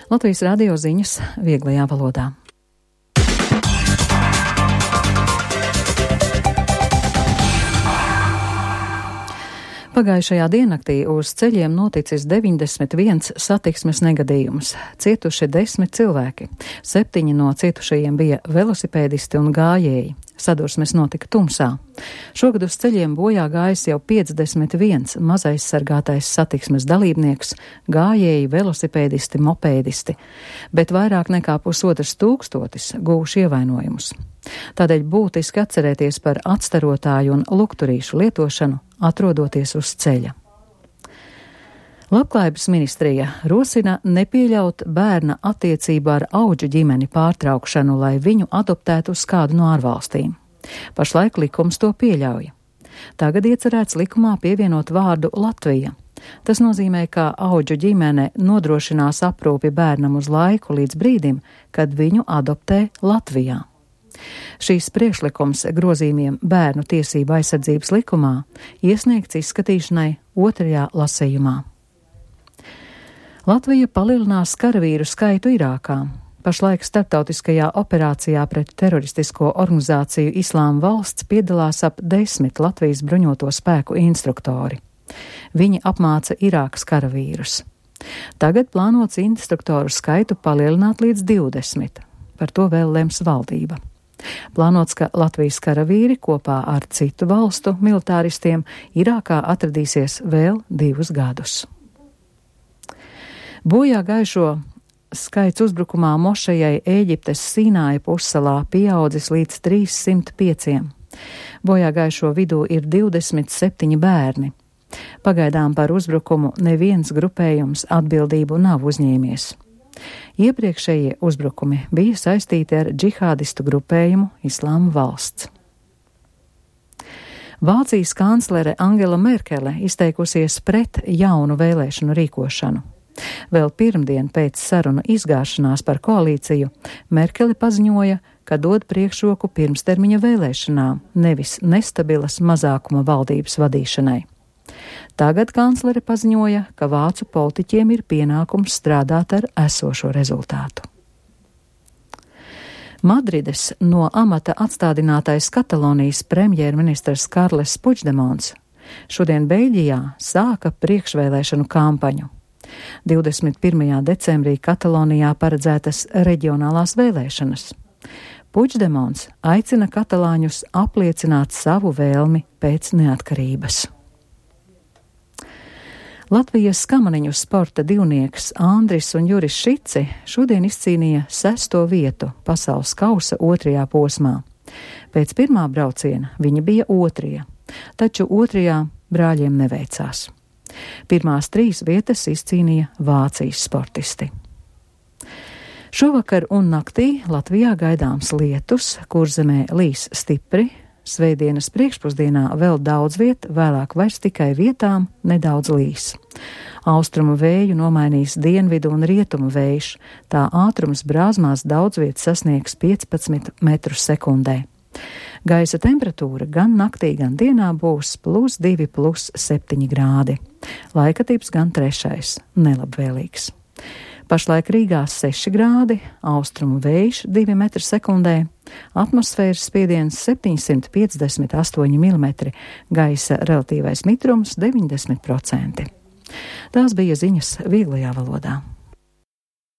Latvijas radio ziņas vieglajā valodā. Pagājušajā diennaktī uz ceļiem noticis 91 satiksmes negadījums. Cietuši 10 cilvēki. 7 no cietušajiem bija velosipēdisti un gājēji. Sadursmes notika tumsā. Šogad uz ceļiem bojā gājis jau 51 mazaizsargātais satiksmes dalībnieks, gājēji, velosipēdisti, mopēdisti, bet vairāk nekā 1500 guvuši ievainojumus. Tādēļ būtiski atcerēties par atstarotāju un lukturīšu lietošanu, atrodoties uz ceļa. Labklājības ministrija rosina nepieļaut bērna attiecību ar audžu ģimeni pārtraukšanu, lai viņu adoptētu uz kādu no ārvalstīm. Pašlaik likums to pieļauj. Tagad iecerēts likumā pievienot vārdu Latvija. Tas nozīmē, ka audžu ģimene nodrošinās aprūpi bērnam uz laiku līdz brīdim, kad viņu adoptē Latvijā. Šīs priekšlikums grozījumiem bērnu tiesību aizsardzības likumā iesniegts izskatīšanai 2. lasījumā. Latvija palielinās karavīru skaitu Irākā. Pašlaik starptautiskajā operācijā pret teroristisko organizāciju Islāma valsts piedalās ap 10 Latvijas bruņoto spēku instruktori. Viņi apmāca Irākas karavīrus. Tagad plānots instruktoru skaitu palielināt līdz 20. Par to vēl lems valdība. Plānots, ka Latvijas karavīri kopā ar citu valstu militāristiem Irākā atradīsies vēl 2 gadus. Bojā gājušo skaits uzbrukumā mošejai Ēģiptes Sīnāja pussalā pieaudzis līdz 305. Bojā gājušo vidū ir 27 bērni. Pagaidām par uzbrukumu neviens grupējums atbildību nav uzņēmies. Iepriekšējie uzbrukumi bija saistīti ar džihādistu grupējumu Islāma valsts. Vācijas kanclere Angela Merkele izteikusies pret jaunu vēlēšanu rīkošanu. Vēl pirmdien pēc sarunu izgāšanās par koalīciju Merkele paziņoja, ka dod priekšroku pirmstermiņa vēlēšanām, nevis nestabilas mazākuma valdības vadīšanai. Tagad kanclere paziņoja, ka vācu politiķiem ir pienākums strādāt ar esošo rezultātu. Madrides no amata atstādinātais Katalonijas premjerministrs Karles Puigdemons šodien Beļģijā sāka priekšvēlēšanu kampaņu. 21. decembrī Katalonijā paredzētas reģionālās vēlēšanas. Puigdemons aicina katalāņus apliecināt savu vēlmi pēc neatkarības. Latvijas kamaniņu sporta divnieks Andris un Juris Šici šodien izcīnīja 6. vietu pasaules kausa 2. posmā. Pēc pirmā brauciena viņi bija 2., taču 2. brāļiem neveicās. Pirmās 3 vietas izcīnīja Vācijas sportisti. Šovakar un naktī Latvijā gaidāms lietus, Kurzemē līs stipri. Svētdienas priekšpusdienā vēl daudz viet, vēlāk vairs tikai vietām nedaudz līs. Austrumu vēju nomainīs dienvidu un rietumu vējš, tā ātrums brāzmās daudz viet sasniegs 15 metrus sekundē. Gaisa temperatūra gan naktī, gan dienā būs +2, +7 grādi. Laikatips gan 3. nelabvēlīgs. Pašlaik Rīgā 6 grādi, austrumu vējš 2 metri sekundē, atmosfēras spiediens 758 mm, gaisa relatīvais mitrums 90%. Tās bija ziņas vieglajā valodā.